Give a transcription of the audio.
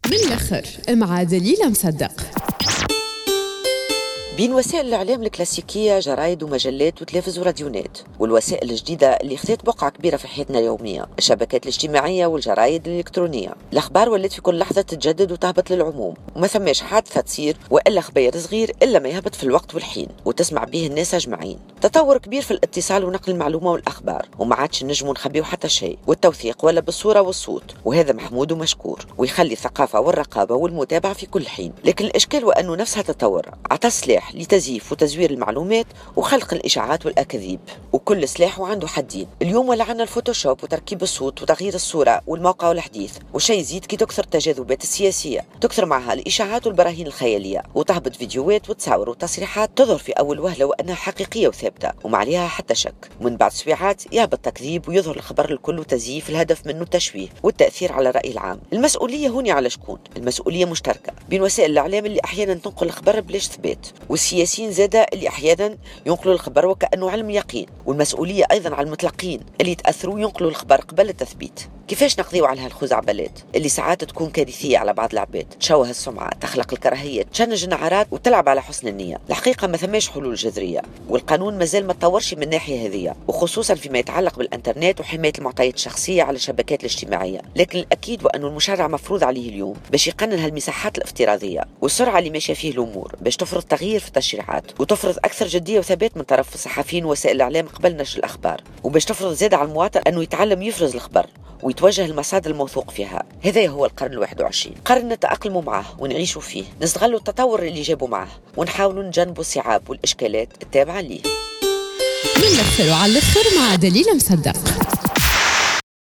من الآخر مع دليلة مصدق. بين وسائل الإعلام الكلاسيكية، جرايد ومجلات وتلفز وراديونات، والوسائل الجديدة اللي خذت بقعة كبيرة في حياتنا اليومية، الشبكات الاجتماعية والجرايد الإلكترونية، الأخبار ولات في كل لحظة تتجدد وتهبط للعموم، وما ثماش حادثة تصير وإلا خبير صغير إلا ما يهبط في الوقت والحين وتسمع به الناس أجمعين. تطور كبير في الاتصال ونقل المعلومة والأخبار، وما عادش نجموا نخبيو حتى شيء، والتوثيق ولا بالصورة والصوت، وهذا محمود ومشكور، ويخلي الثقافة والرقابة والمتابعة في كل حين. لكن الإشكال وأنه نفسها تطور عطى سلاح لتزييف وتزوير المعلومات وخلق الإشاعات والأكاذيب، وكل سلاح وعنده حدين. اليوم ولا عنا الفوتوشوب وتركيب الصوت وتغيير الصورة والموقع والحديث، وشيء يزيد كي تكثر التجاذبات السياسية، تكثر معها الإشاعات والبراهين الخيالية، وتهبط فيديوهات وتصاور وتصريحات تظهر في أول وهلة وأنها حقيقية وثابتة وما عليها حتى شك، ومن بعد سويعات يهبط تكذيب ويظهر الخبر الكل وتزييف، الهدف منه التشويه والتأثير على الرأي العام. المسؤولية هوني على شكون؟ المسؤولية مشتركة بين وسائل الإعلام اللي أحيانا تنقل الخبر بلاش ثبات، والسياسيين زادة اللي أحيانا ينقلوا الخبر وكأنه علم يقين، والمسؤولية أيضا على المتلقين اللي يتأثروا ينقلوا الخبر قبل التثبيت. كيفاش نقضيو على هالخزعبلات اللي ساعات تكون كارثية على بعض العباد، تشوه السمعة، تخلق الكراهية، تشنج النعرات وتلعب على حسن النية؟ الحقيقة ما ثماش حلول جذرية، والقانون مازال ما تطورش من الناحية هذه، وخصوصا فيما يتعلق بالانترنت وحماية المعطيات الشخصية على الشبكات الاجتماعية. لكن الأكيد وأنه المشرع مفروض عليه اليوم باش يقنن هالمساحات الافتراضية والسرعة اللي ماشية فيه الأمور، باش تفرض تغيير في التشريعات وتفرض أكثر جدية وثبات من طرف الصحفيين ووسائل الإعلام قبل نشر الأخبار، وباش تفرض زاد على المواطن أنه يتعلم يفرز الخبر ويتوجه المصادر الموثوق فيها. هذا هو القرن 21، قرن نتأقلم معه ونعيش فيه، نستغلوا التطور اللي جابوا معه ونحاولوا نجنبوا الصعاب والإشكالات التابعة ليه. من الآخر وعلى الآخر مع دليلة مصدق.